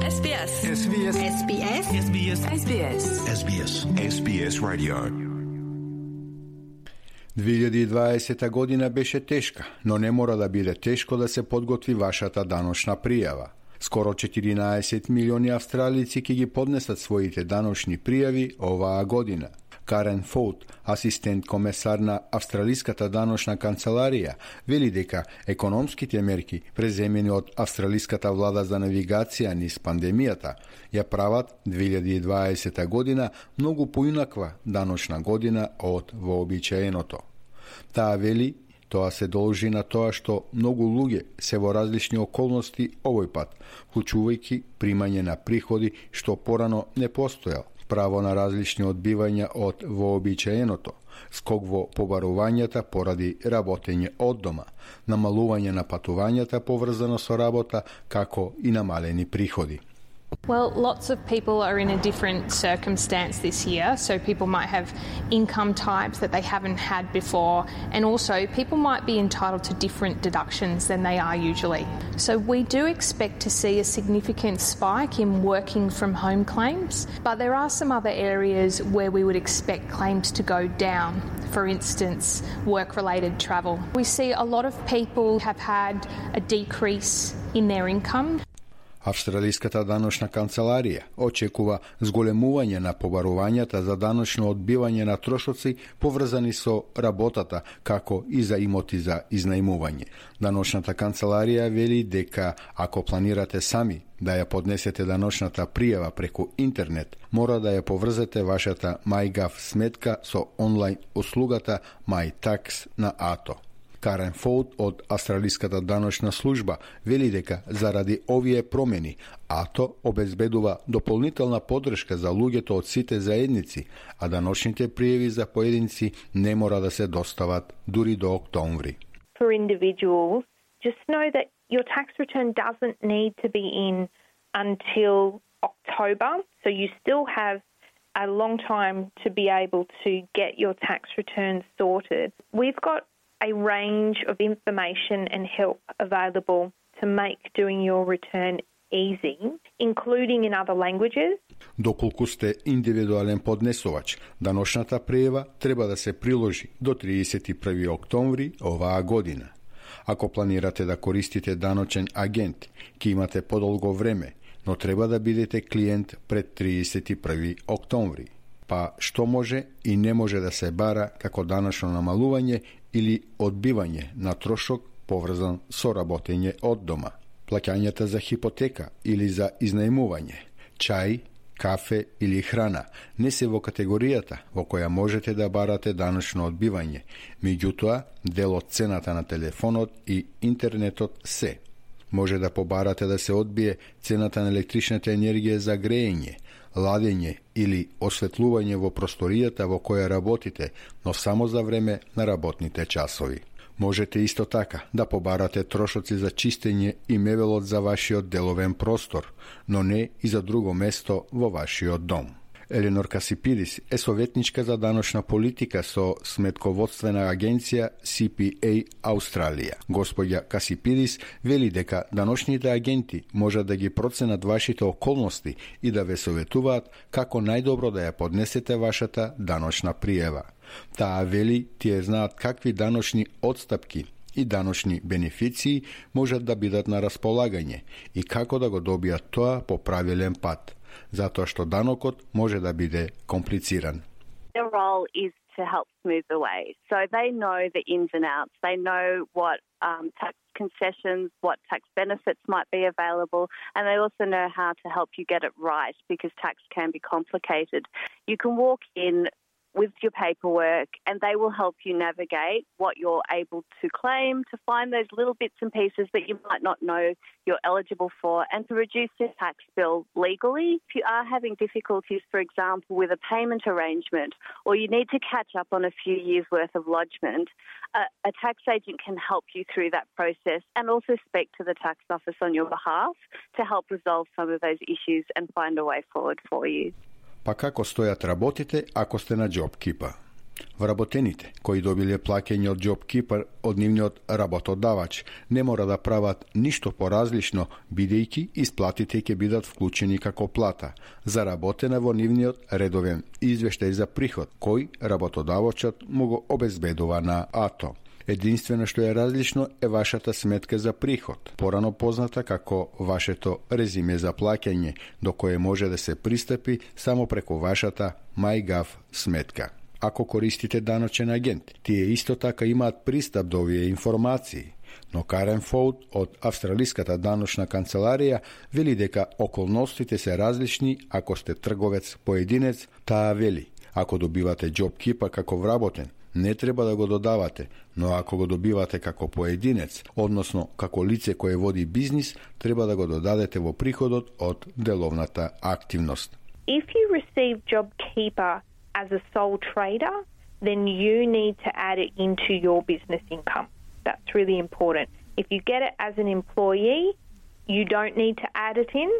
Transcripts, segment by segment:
SBS. SBS. SBS. SBS. SBS. SBS. SBS Radio. 2020 година беше тешка, но не мора да биде тешко да се подготви вашата даночна пријава. Скоро 14 милиони австралици ќе ги поднесат своите даночни пријави оваа година. Карен Фоут, асистент комесар на Австралиската даночна канцеларија, вели дека економските мерки преземени од австралиската влада за навигација низ пандемијата ја прават 2020 година многу поинаква даночна година од вообичаеното. Таа вели тоа се должи на тоа што многу луѓе се во различни околности овој пат, вклучувајќи примање на приходи што порано не постоел, право на различни одбивања од вообичаеното, скок во побарувањата поради работење од дома, намалување на патувањата поврзано со работа, како и намалени приходи. Well, lots of people are in a different circumstance this year, so people might have income types that they haven't had before, and also people might be entitled to different deductions than they are usually. So we do expect to see a significant spike in working from home claims, but there are some other areas where we would expect claims to go down. For instance, work-related travel. We see a lot of people have had a decrease in their income. Австралиската даночна канцеларија очекува зголемување на побарувањата за даночно одбивање на трошоци поврзани со работата, како и за имоти за изнајмување. Даночната канцеларија вели дека ако планирате сами да ја поднесете даночната пријава преку интернет, мора да ја поврзете вашата MyGov сметка со онлайн услугата MyTax на АТО. Карен Фоут од Австралиската даночна служба вели дека заради овие промени АТО обезбедува дополнителна поддршка за луѓето од сите заедници, а даночните пријави за поединци не мора да се достават дури до октомври. For individuals, just know that your tax return doesn't need to be in until October, so you still have a long time to be able to get your tax return sorted. We've got a range of information and help available to make doing your return easy, including in other languages. Доколку сте индивидуален поднесувач, даночната пријава треба да се приложи до 31 октомври оваа година. Ако планирате да користите даночен агент, ќе имате подолго време, но треба да бидете клиент пред 31 октомври. Па што може и не може да се бара како даночно намалување или одбивање на трошок поврзан со работење од дома. Плаќањата за хипотека или за изнајмување, чај, кафе или храна не се во категоријата во која можете да барате даночно одбивање, меѓутоа дел од цената на телефонот и интернетот се. Може да побарате да се одбие цената на електричната енергија за грејење, ладење или осветлување во просторијата во која работите, но само за време на работните часови. Можете исто така да побарате трошоци за чистење и мебелот за вашиот деловен простор, но не и за друго место во вашиот дом. Еленор Касипидис е советничка за даночна политика со сметководствена агенција CPA Австралија. Господја Касипидис вели дека даночните агенти можат да ги проценат вашите околности и да ве советуваат како најдобро да ја поднесете вашата даночна пријава. Таа вели тие знаат какви даночни отстапки и даночни бенефиции можат да бидат на располагање и како да го добијат тоа по правилен пат, затоа што данокот може да биде комплициран. Their role is to help smooth the way. So they know the ins and outs. They know what tax concessions, what tax benefits might be available, and they also know how to help you get it right because tax can be complicated. You can walk in with your paperwork and they will help you navigate what you're able to claim, to find those little bits and pieces that you might not know you're eligible for, and to reduce your tax bill legally. If you are having difficulties, for example, with a payment arrangement, or you need to catch up on a few years' worth of lodgement, a tax agent can help you through that process and also speak to the tax office on your behalf to help resolve some of those issues and find a way forward for you. Па како стојат работите ако сте на JobKeeper? Вработените кои добиле плаќање од JobKeeper од нивниот работодавач не мора да прават ништо поразлично, бидејќи исплатите ќе бидат вклучени како плата, заработена во нивниот редовен извештај за приход, кој работодавачот му го обезбедува на АТО. Единствено што е различно е вашата сметка за приход, порано позната како вашето резиме за плаќање, до кое може да се пристапи само преку вашата MyGov сметка. Ако користите даночен агент, тие исто така имаат пристап до овие информации, но Карен Фолт од Австралиската даночна канцеларија вели дека околностите се различни ако сте трговец поединец. Таа вели, ако добивате JobKeeper како вработен, не треба да го додавате, но ако го добивате како поединец, односно како лице кое води бизнис, треба да го додадете во приходот од деловната активност. If you receive JobKeeper as a sole trader, then you need to add it into your business income. That's really important. If you get it as an employee, you don't need to add it in,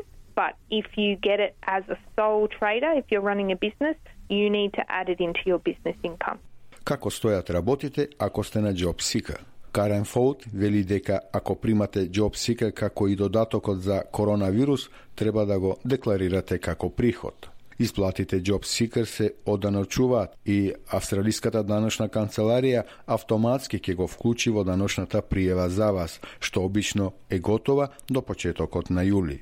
but if you get it as a sole trader, if you're running a business, you need to add it into your business income. Како стојат работите ако сте на JobSeeker? Карен Фолт вели дека ако примате JobSeeker како и додатокот за коронавирус, треба да го декларирате како приход. Исплатите JobSeeker се оданочуваат и Австралиската даночна канцеларија автоматски ќе го вклучи во даночната пријава за вас, што обично е готова до почетокот на јули.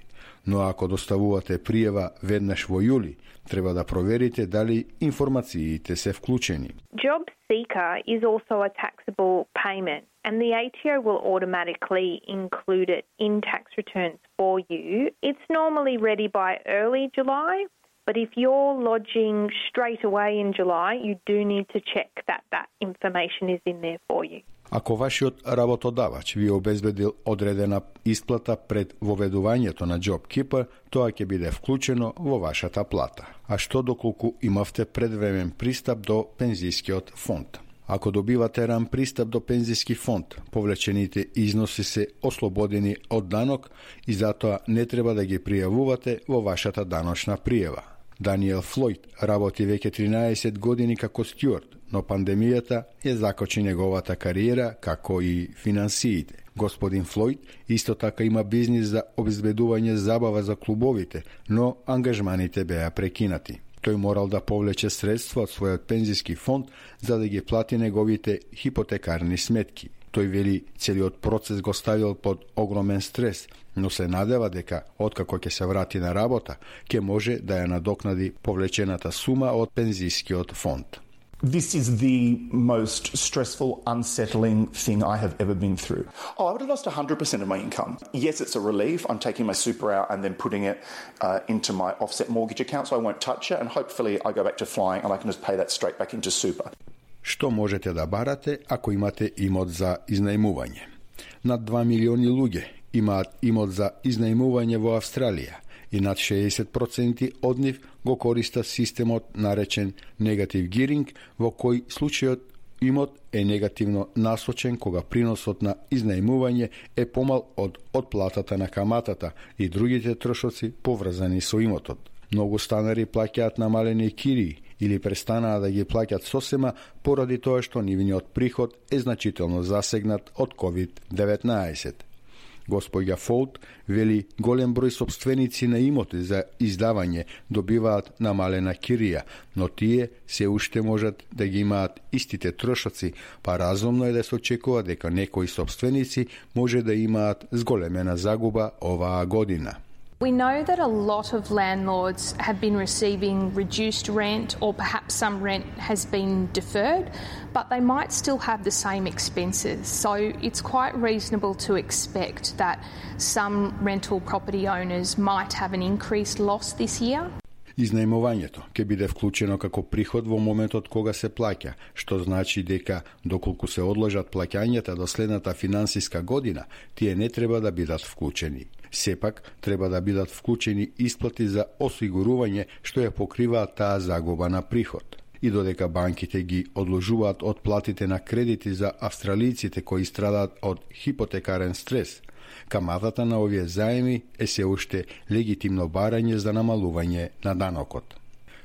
Но ако доставувате пријава веднаш во јули, треба да проверите дали информациите се вклучени. JobSeeker is also a taxable payment, and the ATO will automatically include it in tax returns for you. It's normally ready by early July, but if you're lodging straight away in July, you do need to check that that information is in there for you. Ако вашиот работодавач ви обезбедил одредена исплата пред воведувањето на JobKeeper, тоа ќе биде вклучено во вашата плата. А што доколку имавте предвремен пристап до пензискиот фонд? Ако добивате ран пристап до пензиски фонд, повлечените износи се ослободени од данок и затоа не треба да ги пријавувате во вашата даночна пријава. Даниел Флойд работи веќе 13 години како стюард, но пандемијата ја закочи неговата кариера, како и финансиите. Господин Флойд исто така има бизнис за обезбедување забава за клубовите, но ангажманите беа прекинати. Тој морал да повлече средства од својот пензиски фонд за да ги плати неговите хипотекарни сметки. Тој вели целиот процес го ставил под огромен стрес, но се надева дека откако ќе се врати на работа, ќе може да ја надокнади повлечената сума од пензискиот фонд. This is the most stressful, unsettling thing I have ever been through. Oh, I would have lost 100% of my income. Yes, it's a relief. I'm taking my super out and then putting it into my offset mortgage account, so I won't touch it, and hopefully I go back to flying and I can just pay that straight back into super. Што можете да барате ако имате имот за изнајмување? Над 2 милиони луѓе имаат имот за изнајмување во Австралија и над 60% од нив го користат системот наречен негатив гиринг, во кој случајот имот е негативно насочен кога приносот на изнајмување е помал од отплатата на каматата и другите трошоци поврзани со имотот. Многу станари плаќаат намалени кирии или престанаа да ги плаќат сосема поради тоа што нивниот приход е значително засегнат од COVID-19. Господја Фолт вели голем број собственици на имоти за издавање добиваат намалена кирија, но тие се уште можат да ги имаат истите трошоци, па разумно е да се очекува дека некои собственици може да имаат зголемена загуба оваа година. We know that a lot of landlords have been receiving reduced rent, or perhaps some rent has been deferred, but they might still have the same expenses. So it's quite reasonable to expect that some rental property owners might have an increased loss this year. Изнајмувањето ќе биде вклучено како приход во моментот кога се плаќа, што значи дека доколку се одложат плаќањата до следната финансиска година, тие не треба да бидат вклучени. Сепак, треба да бидат вклучени исплати за осигурување што ја покриваат таа загуба на приход. И додека банките ги одложуваат од платите на кредити за австралиците кои страдаат од хипотекарен стрес, каматата на овие заеми е се уште легитимно барање за намалување на данокот.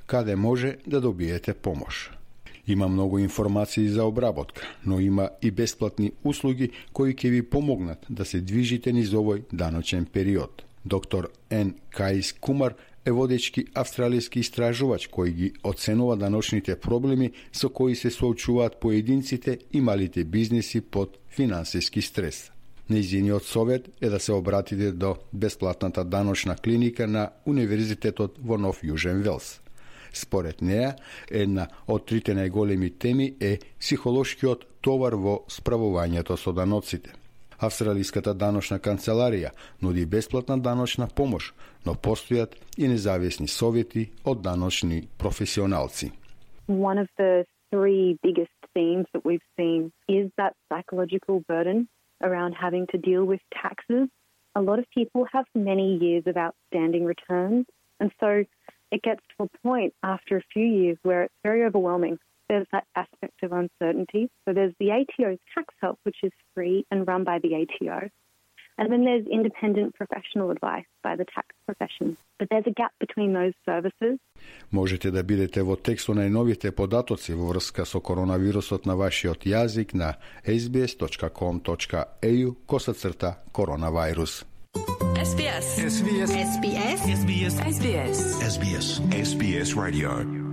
Каде може да добиете помош? Има многу информации за обработка, но има и бесплатни услуги кои ќе ви помогнат да се движите низ овој даночен период. Доктор Н. Каис Кумар е водечки австралијски истражувач кој ги оценува даночните проблеми со кои се соочуваат поединците и малите бизнеси под финансиски стрес. Нејзиниот совет е да се обратите до бесплатната даночна клиника на Универзитетот во Нов Јужен Велс. Според неа, една од трите најголеми теми е психолошкиот товар во справувањето со даноците. Австралиската даночна канцеларија нуди бесплатна даночна помош, но постојат и независни совети од даночни професионалци. One of the three biggest themes that we've seen is that psychological burden around having to deal with taxes. A lot of people have many years of outstanding returns, and so it gets to a point after a few years where it's very overwhelming. There's that aspect of uncertainty. So there's the ATO's tax help, which is free and run by the ATO. And then there's independent professional advice by the tax profession. But there's a gap between those services. Можете да бидете во текст со најновите податоци во врска со коронавирусот на вашиот јазик на sbs.com.au/коронавирус. SBS. SBS. SBS. SBS. SBS. SBS. SBS Radio.